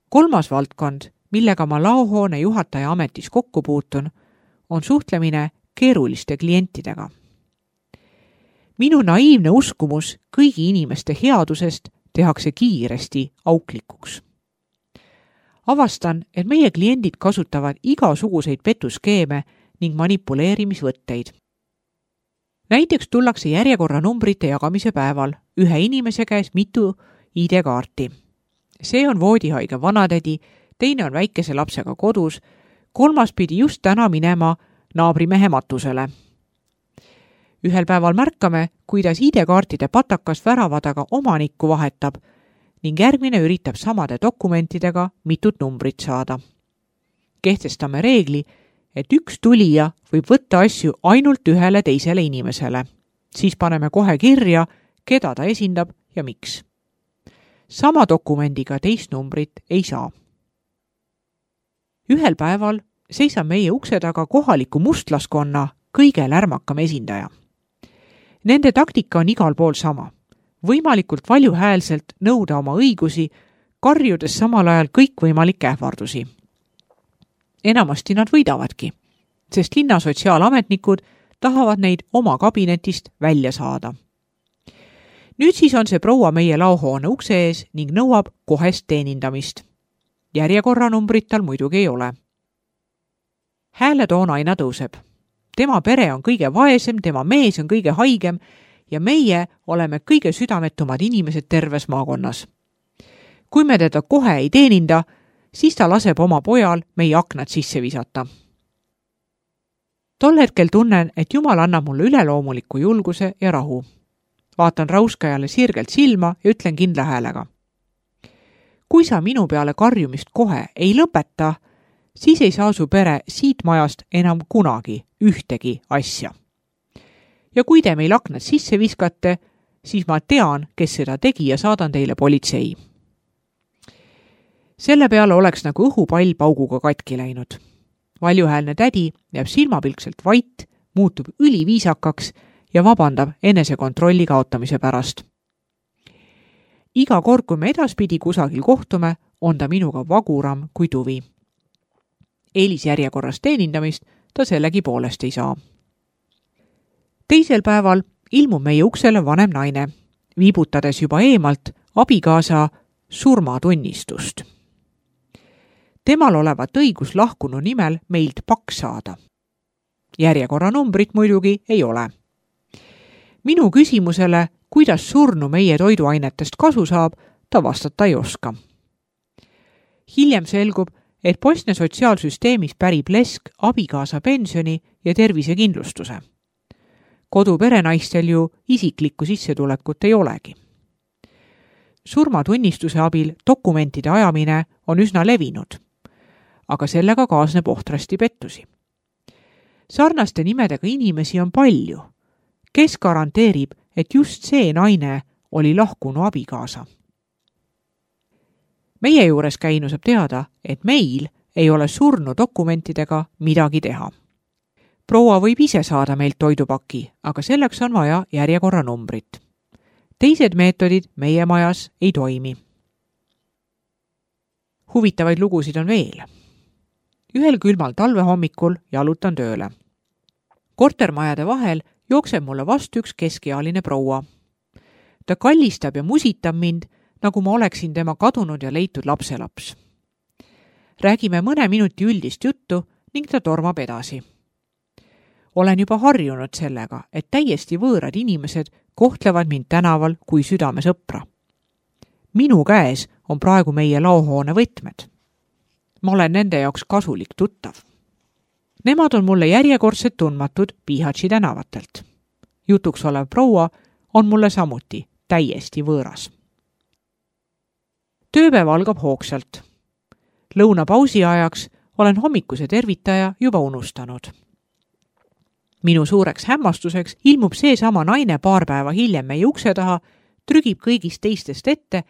Kolmas valdkond, millega ma laohoone juhataja ametis kokku puutun, on suhtlemine keeruliste klientidega. Minu naiivne uskumus kõigi inimeste headusest tehakse kiiresti auklikuks. Avastan, et meie kliendid kasutavad igasuguseid petuskeeme ning manipuleerimisvõtteid. Näiteks tullakse järjekorranumbrite jagamise päeval ühe inimese käes mitu ID-kaarti. See on voodihaige vanatädi, teine on väikese lapsega kodus, kolmas pidi just täna minema naabrimehe matusele. Ühel päeval märkame, kuidas ID-kaartide patakas väravadaga omanikku vahetab ning järgmine üritab samade dokumentidega mitut numbrit saada. Kehtestame reegli, et üks tulija võib võtta asju ainult ühele teisele inimesele. Siis paneme kohe kirja, keda ta esindab ja miks. Sama dokumendiga teist numbrit ei saa. Ühel päeval seisab meie ukse taga kohaliku mustlaskonna kõige lärmakam esindaja. Nende taktika on igal pool sama. Võimalikult valjuhäälselt nõuda oma õigusi, karjudes samal ajal kõikvõimalikke ähvardusi. Enamasti nad võidavadki, sest linna sotsiaalametnikud tahavad neid oma kabinetist välja saada. Nüüd siis on see proua meie laohoone ukse ees ning nõuab kohest teenindamist. Järjekorranumbrit tal muidugi ei ole. Hääletoon aina tõuseb. Tema pere on kõige vaesem, tema mees on kõige haigem ja meie oleme kõige südametumad inimesed terves maakonnas. Kui me teda kohe ei teeninda, siis ta laseb oma pojal meie aknad sisse visata. Tol hetkel tunnen, et Jumal annab mulle üleloomuliku julguse ja rahu. Vaatan rauskajale sirgelt silma ja ütlen kindla häälega. Kui sa minu peale karjumist kohe ei lõpeta, siis ei saa su pere siit majast enam kunagi ühtegi asja. Ja kui te meil aknad sisse viskate, siis ma tean, kes seda tegi ja saadan teile politsei. Selle peale oleks nagu õhupall pauguga katki läinud. Valjuhäälne tädi jääb silmapilkselt vait, muutub üliviisakaks ja vabandab enesekontrolli kaotamise pärast. Iga kord, kui me edaspidi kusagil kohtume, on ta minuga vaguram kui tuvi. Eelisjärjekorras teenindamist ta sellegi poolest ei saa. Teisel päeval ilmub meie uksele vanem naine, viibutades juba eemalt abikaasa surmatunnistust. Temal olevat õigus lahkunu nimel meilt paks saada. Järjekorranumbrit muidugi ei ole. Minu küsimusele, kuidas surnu meie toiduainetest kasu saab, ta vastata ei oska. Hiljem selgub, et Bosnia sotsiaalsüsteemis pärib lesk abikaasa pensioni ja tervisekindlustuse. Koduperenaistel ju isiklikku sissetulekut ei olegi. Surmatunnistuse abil dokumentide ajamine on üsna levinud, aga sellega kaasneb ohtrasti pettusi. Sarnaste nimedega inimesi on palju. Kes garanteerib, et just see naine oli lahkunu abikaasa? Meie juures käinu saab teada, et meil ei ole surnu dokumentidega midagi teha. Proua võib ise saada meilt toidupaki, aga selleks on vaja järjekorranumbrit. Teised meetodid meie majas ei toimi. Huvitavaid lugusid on veel. Ühel külmal talvehommikul jalutan tööle. Kortermajade vahel jookseb mulle vastu üks keskealine proua. Ta kallistab ja musitab mind, nagu ma oleksin tema kadunud ja leitud lapselaps. Räägime mõne minuti üldist juttu ning ta tormab edasi. Olen juba harjunud sellega, et täiesti võõrad inimesed kohtlevad mind tänaval kui südamesõpra. Minu käes on praegu meie laohoone võtmed. Ma olen nende jaoks kasulik tuttav. Nemad on mulle järjekordsed tundmatud Pihatši tänavatelt. Jutuks olev proua on mulle samuti täiesti võõras. Tööpäev algab hoogsalt. Lõunapausi ajaks olen hommikuse tervitaja juba unustanud. Minu suureks hämmastuseks ilmub seesama naine paar päeva hiljem meie ukse taha, trügib kõigist teistest ette,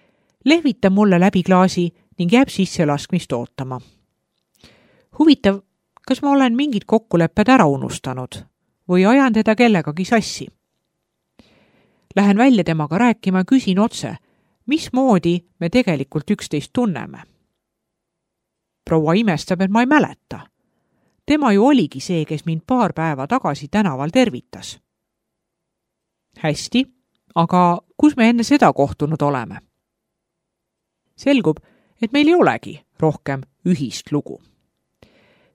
lehvitab mulle läbi klaasi ning jääb sisse laskmist ootama. Huvitav, kas ma olen mingid kokkulepped ära unustanud või ajan teda kellegagi sassi? Lähen välja temaga rääkima ja küsin otse, mismoodi me tegelikult üksteist tunneme. proua imestab, et ma ei mäleta. Tema ju oligi see, kes mind paar päeva tagasi tänaval tervitas. Hästi, aga kus me enne seda kohtunud oleme? Selgub, et meil ei olegi rohkem ühist lugu.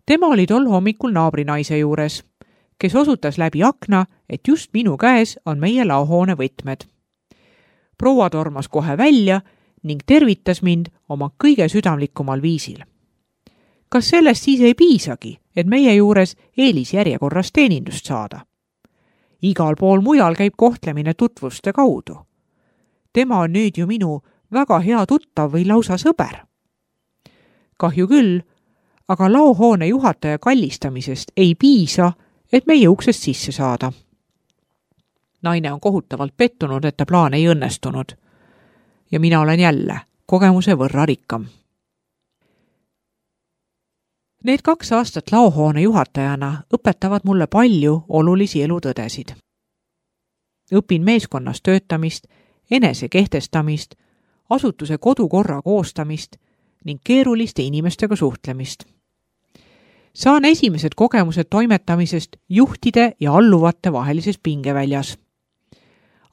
Tema oli tol hommikul naabrinaise juures, kes osutas läbi akna, et just minu käes on meie laohoone võtmed. Proua tormas kohe välja ning tervitas mind oma kõige südamlikumal viisil. Kas sellest siis ei piisagi, et meie juures eelisjärjekorras teenindust saada? Igal pool mujal käib kohtlemine tutvuste kaudu. Tema on nüüd ju minu väga hea tuttav või lausa sõber. Kahju küll, aga laohoone juhataja kallistamisest ei piisa, et meie uksest sisse saada. Naine on kohutavalt pettunud, et ta plaan ei õnnestunud. Ja mina olen jälle kogemuse võrra rikkam. Need 2 aastat laohoone juhatajana õpetavad mulle palju olulisi elutõdesid. Õpin meeskonnas töötamist, enese kehtestamist, asutuse kodukorra koostamist ning keeruliste inimestega suhtlemist. Saan esimesed kogemused toimetamisest juhtide ja alluvate vahelises pingeväljas.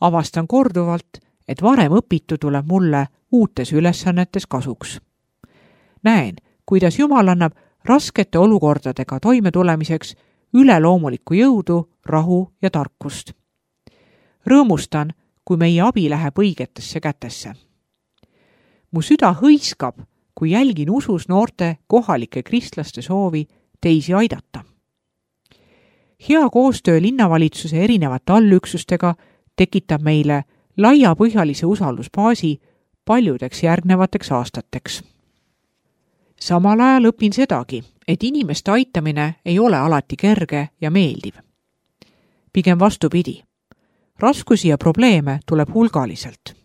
Avastan korduvalt, et varem õpitu tuleb mulle uutes ülesannetes kasuks. Näen, kuidas Jumal annab raskete olukordadega toimetulemiseks üleloomulikku jõudu, rahu ja tarkust. Rõõmustan, kui meie abi läheb õigetesse kätesse. Mu süda hõiskab, kui jälgin usus noorte kohalike kristlaste soovi teisi aidata. Hea koostöö linnavalitsuse erinevate allüksustega tekitab meile laiapõhjalise usaldusbaasi paljudeks järgnevateks aastateks. Samal ajal õpin sedagi, et inimeste aitamine ei ole alati kerge ja meeldiv. Pigem vastupidi. Raskusi ja probleeme tuleb hulgaliselt.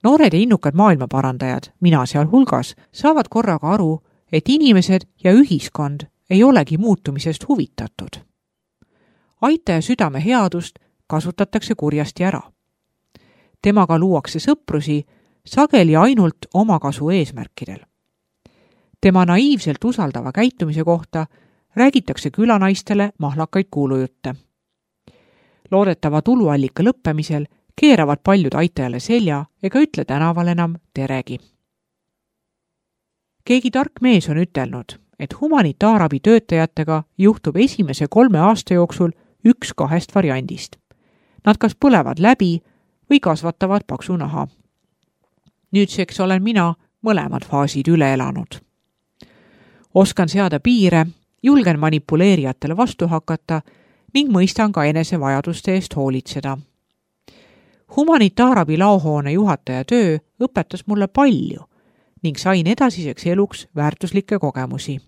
Noored ja innukad maailmaparandajad, mina seal hulgas, saavad korraga aru, et inimesed ja ühiskond ei olegi muutumisest huvitatud. Aitaja südame headust kasutatakse kurjasti ära. Temaga luuakse sõprusi sageli ainult omakasu eesmärkidel. Tema naiivselt usaldava käitumise kohta räägitakse külanaistele mahlakaid kuulujutte. Loodetava tuluallika lõppemisel keeravad paljud aitajale selja ega ütle tänaval enam teregi. Keegi tark mees on ütelnud, et humanitaarabi töötajatega juhtub esimese 3 aasta jooksul 1-2 variandist. Nad kas põlevad läbi või kasvatavad paksu naha. Nüüdseks olen mina mõlemad faasid üle elanud. Oskan seada piire, julgen manipuleerijatele vastu hakata ning mõistan ka enese vajaduste eest hoolitseda. Humanitaarabi laohoone juhataja töö õpetas mulle palju ning sain edasiseks eluks väärtuslikke kogemusi.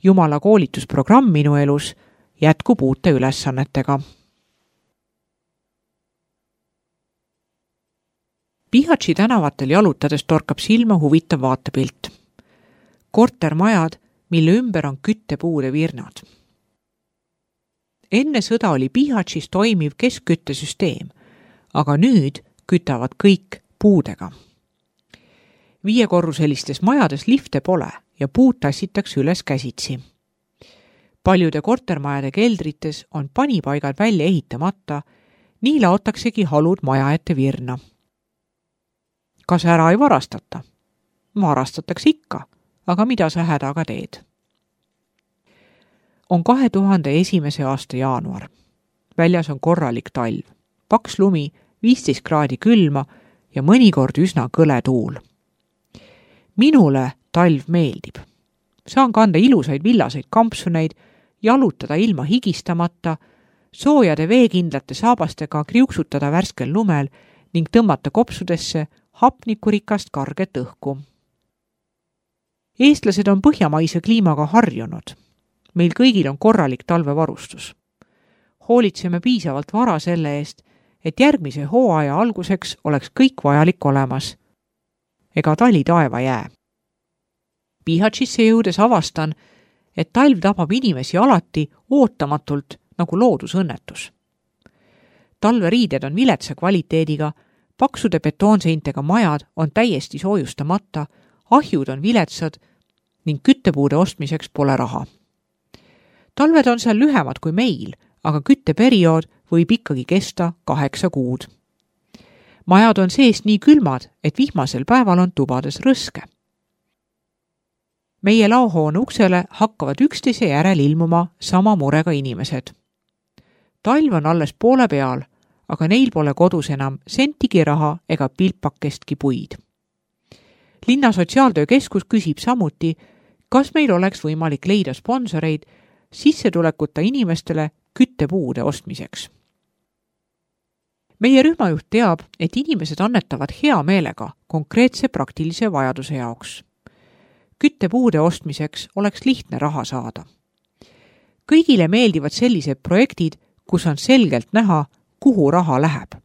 Jumala koolitusprogramm minu elus jätkub uute ülesannetega. Bihaći tänavatel jalutades torkab silma huvitav vaatepilt. Kortermajad, mille ümber on küttepuude virnad. Enne sõda oli Bihaćis toimiv keskküttesüsteem, aga nüüd kütavad kõik puudega. 5-korruselistes majades lifte pole ja puud tassitakse üles käsitsi. Paljude kortermajade keldrites on panipaigad välja ehitamata, nii laotaksegi halud maja ette virna. Kas ära ei varastata? Varastatakse ikka, aga mida sa hädaga teed? On 2001. aasta jaanuar. Väljas on korralik talv, paks lumi, 15 kraadi külma ja mõnikord üsna kõle tuul. Minule talv meeldib. Saan kanda ilusaid villaseid kampsuneid, jalutada ilma higistamata, soojade veekindlate saabastega kriuksutada värskel lumel ning tõmmata kopsudesse hapnikurikast karget õhku. Eestlased on põhjamaise kliimaga harjunud. Meil kõigil on korralik talvevarustus. Hoolitseme piisavalt vara selle eest, et järgmise hooaja alguseks oleks kõik vajalik olemas. Ega tali taeva jää. Bihaćisse jõudes avastan, et talv tabab inimesi alati ootamatult nagu loodusõnnetus. Talveriided on viletsa kvaliteediga, paksude betoonseintega majad on täiesti soojustamata, ahjud on viletsad ning küttepuude ostmiseks pole raha. Talved on seal lühemad kui meil, aga kütteperiood võib ikkagi kesta 8 kuud. Majad on seest nii külmad, et vihmasel päeval on tubades rõske. Meie laohoone uksele hakkavad üksteise järel ilmuma sama murega inimesed. Talv on alles poole peal, aga neil pole kodus enam sentigi raha ega pilpakestki puid. Linna sotsiaaltöökeskus küsib samuti, kas meil oleks võimalik leida sponsoreid sissetulekuta inimestele küttepuude ostmiseks. Meie rühmajuht teab, et inimesed annetavad hea meelega konkreetse praktilise vajaduse jaoks. Küttepuude ostmiseks oleks lihtne raha saada. Kõigile meeldivad sellised projektid, kus on selgelt näha, kuhu raha läheb.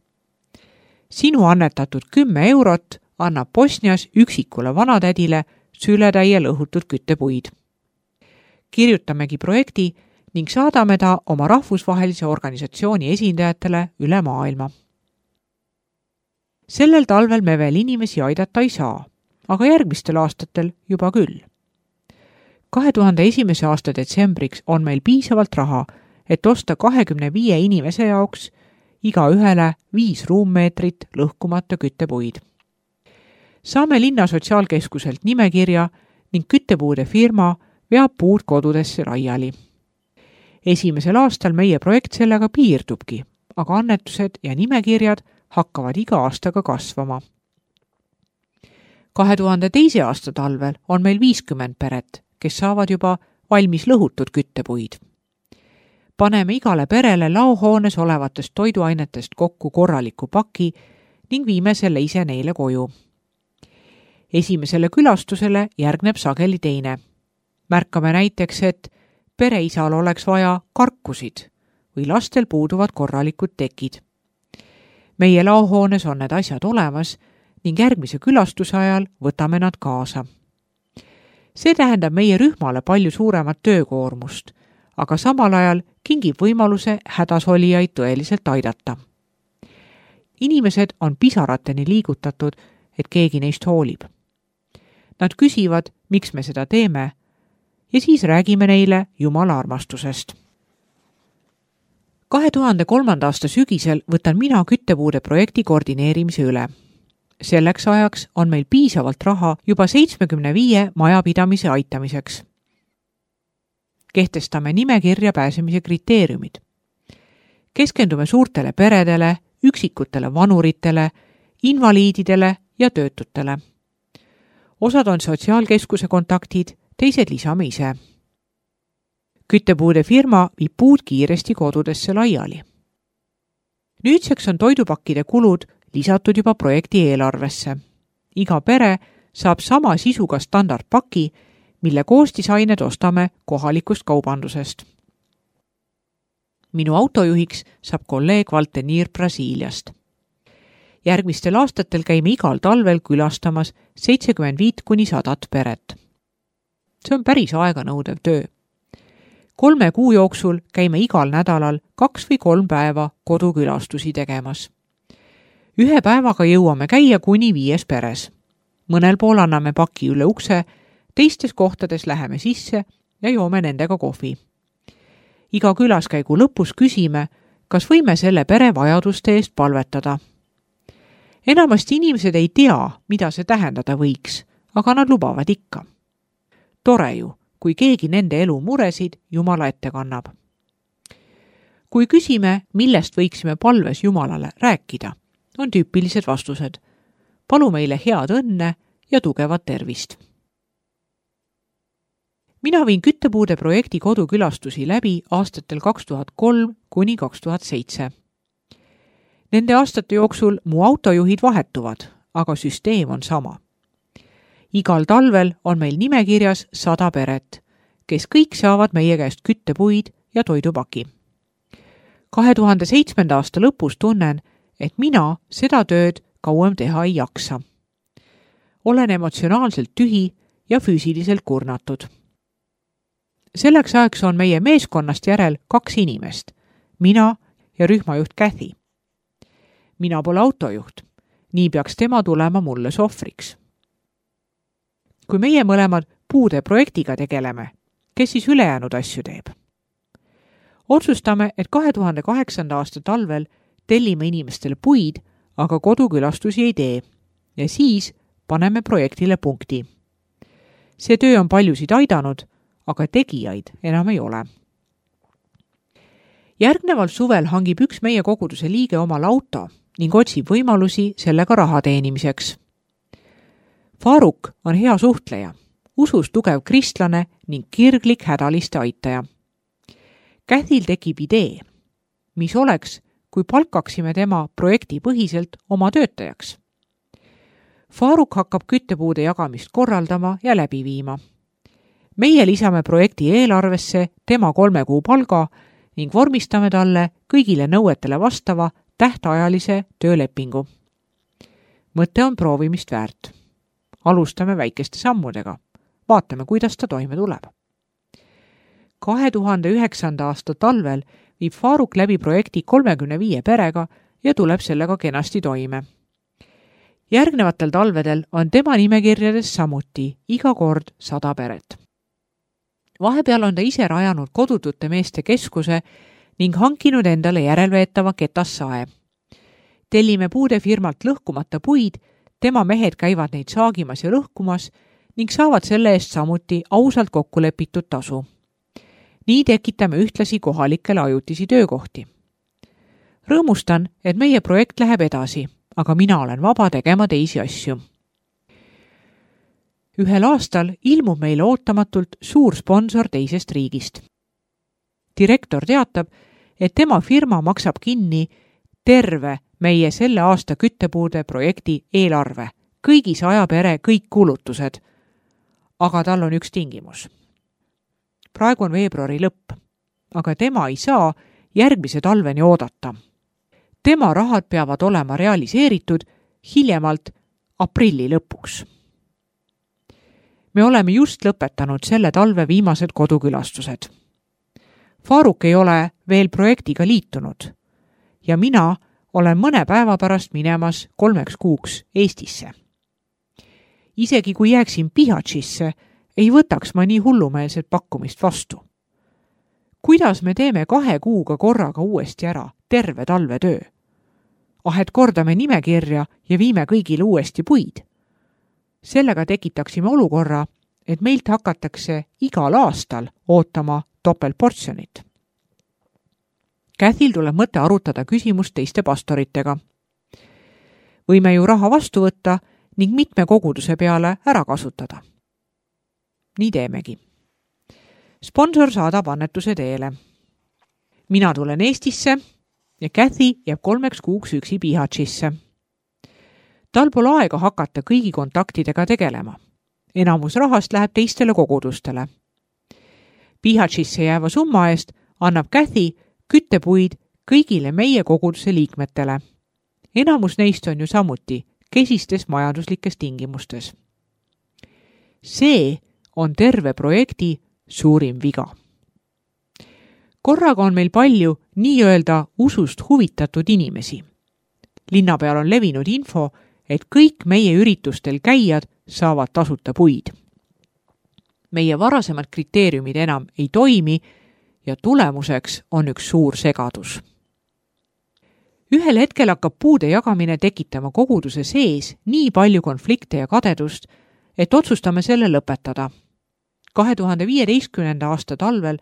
Sinu annetatud 10 eurot annab Bosnias üksikule vanatädile sületäie lõhutud küttepuid. Kirjutamegi projekti ning saadame ta oma rahvusvahelise organisatsiooni esindajatele üle maailma. Sellel talvel me veel inimesi aidata ei saa, aga järgmistel aastatel juba küll. 2001. aasta detsembriks on meil piisavalt raha, et osta 25 inimese jaoks iga ühele 5 ruummeetrit lõhkumata küttepuid. Saame linna sotsiaalkeskuselt nimekirja ning küttepuude firma veab puud kodudesse laiali. Esimesel aastal meie projekt sellega piirdubki, aga annetused ja nimekirjad hakkavad iga aastaga kasvama. 2002. aasta talvel on meil 50 peret, kes saavad juba valmis lõhutud küttepuid. Paneme igale perele laohoones olevatest toiduainetest kokku korraliku paki ning viime selle ise neile koju. Esimesele külastusele järgneb sageli teine. Märkame näiteks, et pereisal oleks vaja karkusid või lastel puuduvad korralikud tekid. Meie laohoones on need asjad olemas ning järgmise külastuse ajal võtame nad kaasa. See tähendab meie rühmale palju suuremat töökoormust, aga samal ajal kingib võimaluse hädasolijaid tõeliselt aidata. Inimesed on pisarateni liigutatud, et keegi neist hoolib. Nad küsivad, miks me seda teeme, ja siis räägime neile Jumala armastusest. 2003. aasta sügisel võtan mina küttepuude projekti koordineerimise üle. Selleks ajaks on meil piisavalt raha juba 75 majapidamise aitamiseks. Kehtestame nimekirja pääsemise kriteeriumid. Keskendume suurtele peredele, üksikutele vanuritele, invaliididele ja töötutele. Osad on sotsiaalkeskuse kontaktid, teised lisame ise. Küttepuude firma viib puud kiiresti kodudesse laiali. Nüüdseks on toidupakkide kulud lisatud juba projekti eelarvesse. Iga pere saab sama sisuga standardpaki, mille koostisained ostame kohalikust kaubandusest. Minu autojuhiks saab kolleeg Valteniir Brasiiliast. Järgmistel aastatel käime igal talvel külastamas 75–100 peret. See on päris aeganõudev töö. 3 kuu jooksul käime igal nädalal 2 või 3 päeva kodukülastusi tegemas. 1 päevaga jõuame käia kuni 5 peres. Mõnel pool anname paki üle ukse, teistes kohtades läheme sisse ja joome nendega kohvi. Iga külaskäigu lõpus küsime, kas võime selle pere vajaduste eest palvetada. Enamasti inimesed ei tea, mida see tähendada võiks, aga nad lubavad ikka. Tore ju, kui keegi nende elu muresid Jumala ette kannab. Kui küsime, millest võiksime palves Jumalale rääkida, on tüüpilised vastused. Palu meile head õnne ja tugevat tervist. Mina viin küttepuude projekti kodukülastusi läbi aastatel 2003–2007. Nende aastate jooksul mu autojuhid vahetuvad, aga süsteem on sama. Igal talvel on meil nimekirjas 100 peret, kes kõik saavad meie käest küttepuid ja toidupaki. 2007. aasta lõpus tunnen, et mina seda tööd kauem teha ei jaksa. Olen emotsionaalselt tühi ja füüsiliselt kurnatud. Selleks ajaks on meie meeskonnast järel 2 inimest, mina ja rühmajuht Kathy. Mina pole autojuht, nii peaks tema tulema mulle sohvriks. kui meie mõlemad puude projektiga tegeleme, kes siis ülejäänud asju teeb? Otsustame, et 2008. aasta talvel tellime inimestele puid, aga kodukülastusi ei tee ja siis paneme projektile punkti. See töö on paljusid aidanud, aga tegijaid enam ei ole. Järgneval suvel hangib üks meie koguduse liige omal auto ning otsib võimalusi sellega raha teenimiseks. Faruk on hea suhtleja, usus tugev kristlane ning kirglik hädaliste aitaja. Cathil tekib idee, mis oleks, kui palkaksime tema projektipõhiselt oma töötajaks. Faruk hakkab küttepuude jagamist korraldama ja läbi viima. Meie lisame projekti eelarvesse tema 3 kuu palga ning vormistame talle kõigile nõuetele vastava tähtajalise töölepingu. Mõte on proovimist väärt. Alustame väikeste sammudega. Vaatame, kuidas ta toime tuleb. 2009. aasta talvel viib Faruk läbi projekti 35 perega ja tuleb sellega kenasti toime. Järgnevatel talvedel on tema nimekirjades samuti iga kord 100 peret. Vahepeal on ta ise rajanud kodutute meeste keskuse ning hankinud endale järelveetava ketassae. Tellime puudefirmalt lõhkumata puid, tema mehed käivad neid saagimas ja lõhkumas ning saavad selle eest samuti ausalt kokkulepitud tasu. Nii tekitame ühtlasi kohalikele ajutisi töökohti. Rõõmustan, et meie projekt läheb edasi, aga mina olen vaba tegema teisi asju. Ühel aastal ilmub meile ootamatult suur sponsor teisest riigist. Direktor teatab, et tema firma maksab kinni terve meie selle aasta küttepuude projekti eelarve, kõigi 100 pere kõik kulutused. Aga tal on üks tingimus. Praegu on veebruari lõpp, aga tema ei saa järgmise talveni oodata. Tema rahad peavad olema realiseeritud hiljemalt aprilli lõpuks. Me oleme just lõpetanud selle talve viimased kodukülastused. Faruk ei ole veel projektiga liitunud ja mina olen mõne päeva pärast minemas 3 kuuks Eestisse. Isegi kui jääksin Bihaćisse, ei võtaks ma nii hullumeelset pakkumist vastu. Kuidas me teeme 2 kuuga korraga uuesti ära terve talvetöö? Et kordame nimekirja ja viime kõigile uuesti puid. Sellega tekitaksime olukorra, et meilt hakatakse igal aastal ootama topeltportsjonit. Cathil tuleb mõte arutada küsimust teiste pastoritega. Võime ju raha vastu võtta ning mitme koguduse peale ära kasutada. Nii teemegi. Sponsor saadab annetuse teele. Mina tulen Eestisse ja Cathi jääb 3 kuuks üksi Bihaćisse. Tal pole aega hakata kõigi kontaktidega tegelema. Enamus rahast läheb teistele kogudustele. Bihaćisse jääva summa eest annab Cathi küttepuid kõigile meie koguduse liikmetele. Enamus neist on ju samuti kesistes majanduslikes tingimustes. See on terve projekti suurim viga. Korraga on meil palju nii-öelda usust huvitatud inimesi. Linna peal on levinud info, et kõik meie üritustel käijad saavad tasuta puid. Meie varasemad kriteeriumid enam ei toimi ja tulemuseks on üks suur segadus. Ühel hetkel hakkab puude jagamine tekitama koguduse sees nii palju konflikte ja kadedust, et otsustame selle lõpetada. 2015. aasta talvel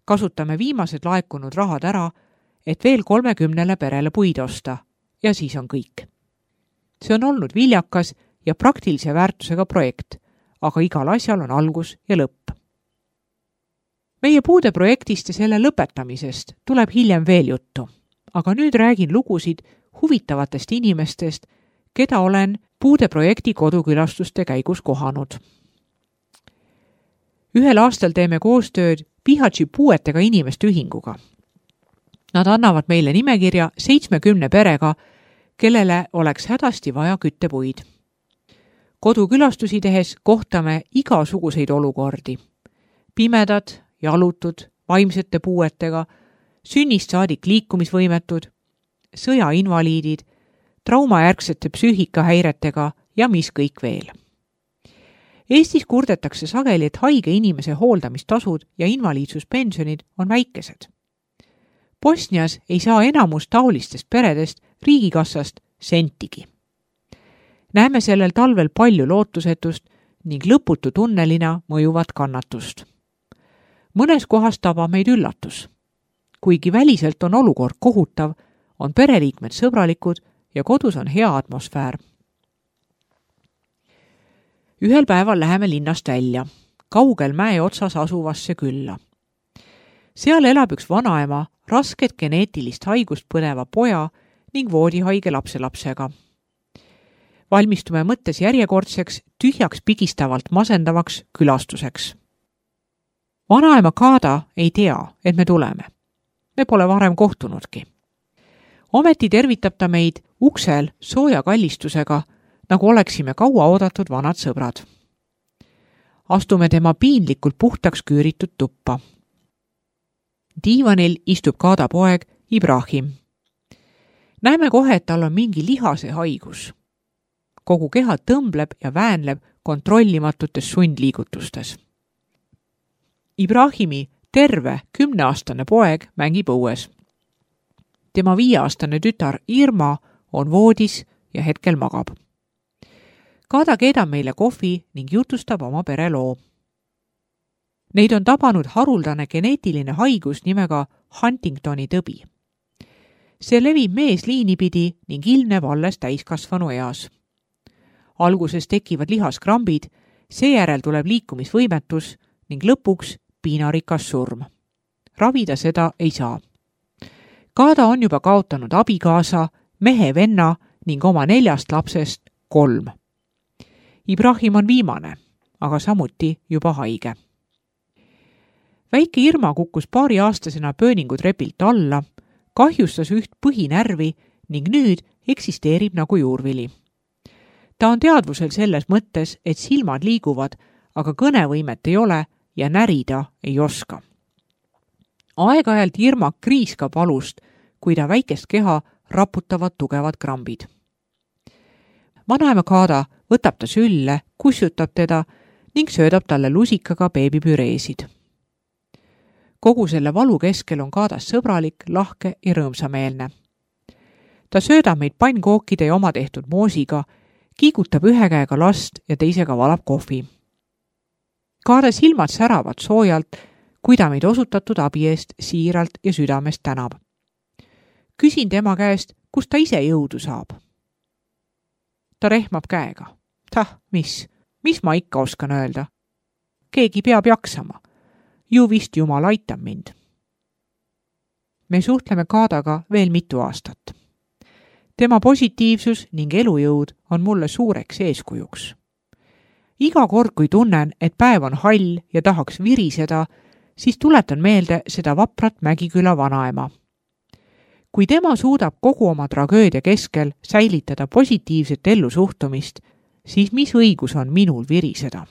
kasutame viimased laekunud rahad ära, et veel 30 perele puid osta ja siis on kõik. See on olnud viljakas ja praktilise väärtusega projekt, aga igal asjal on algus ja lõpp. Meie puude projektist ja selle lõpetamisest tuleb hiljem veel juttu, aga nüüd räägin lugusid huvitavatest inimestest, keda olen puude projekti kodukülastuste käigus kohanud. Ühel aastal teeme koostööd Bihaći puuetega inimeste ühinguga. Nad annavad meile nimekirja 70 perega, kellele oleks hädasti vaja küttepuid. Kodukülastusi tehes kohtame igasuguseid olukordi. Pimedad, jalutud, vaimsete puuetega, sünnist saadik liikumisvõimetud, sõjainvaliidid, traumajärgsete psüühikahäiretega ja mis kõik veel. Eestis kurdetakse sageli, et haige inimese hooldamistasud ja invaliidsuspensionid on väikesed. Bosnias ei saa enamus taolistest peredest riigikassast sentigi. Näeme sellel talvel palju lootusetust ning lõputu tunnelina mõjuvat kannatust. Mõnes kohas tabab meid üllatus. Kuigi väliselt on olukord kohutav, on pereliikmed sõbralikud ja kodus on hea atmosfäär. Ühel päeval läheme linnast välja, kaugel mäe otsas asuvasse külla. Seal elab üks vanaema rasket geneetilist haigust põdeva poja ning voodihaige lapselapsega. Valmistume mõttes järjekordseks, tühjaks pigistavalt masendavaks külastuseks. Vanaema Kada ei tea, et me tuleme. Me pole varem kohtunudki. Ometi tervitab ta meid uksel sooja kallistusega, nagu oleksime kaua oodatud vanad sõbrad. Astume tema piinlikult puhtaks küüritud tuppa. Diivanil istub Kada poeg Ibrahim. Näeme kohe, et tal on mingi lihase haigus. Kogu keha tõmbleb ja väänleb kontrollimatutes sundliigutustes. Ibrahimi terve 10-aastane poeg mängib õues. Tema 5-aastane tütar Irma on voodis ja hetkel magab. Kada keedab meile kohvi ning jutustab oma pere loo. Neid on tabanud haruldane geneetiline haigus nimega Huntingtoni tõbi. See levib meesliini pidi ning ilmneb alles täiskasvanu eas. Alguses tekivad lihaskrambid, seejärel tuleb liikumisvõimetus ning lõpuks piinarikas surm. Ravida seda ei saa. Kada on juba kaotanud abikaasa, mehe venna ning oma 4 lapsest 3. Ibrahim on viimane, aga samuti juba haige. Väike Irma kukkus 2-aastasena pööningutrepilt alla, kahjustas üht põhinärvi ning nüüd eksisteerib nagu juurvili. Ta on teadvusel selles mõttes, et silmad liiguvad, aga kõnevõimet ei ole ja närida ei oska. Aeg-ajalt Irma kriiskab valust, kui ta väikest keha raputavad tugevad krambid. Vanaema Kada võtab ta sülle, kussutab teda ning söödab talle lusikaga beebipüreesid. Kogu selle valu keskel on Kadas sõbralik, lahke ja rõõmsameelne. Ta söödab meid pannkookide ja oma tehtud moosiga, kiigutab ühe käega last ja teisega valab kohvi. Kada silmad säravad soojalt, kui ta meid osutatud abi eest siiralt ja südamest tänab. Küsin tema käest, kust ta ise jõudu saab. Ta rehmab käega. Mis ma ikka oskan öelda? Keegi peab jaksama. Ju vist Jumal aitab mind. Me suhtleme Kadaga veel mitu aastat. Tema positiivsus ning elujõud on mulle suureks eeskujuks. Iga kord, kui tunnen, et päev on hall ja tahaks viriseda, siis tuletan meelde seda vaprat Mägiküla vanaema. Kui tema suudab kogu oma tragöödia keskel säilitada positiivset ellusuhtumist, siis mis õigus on minul viriseda?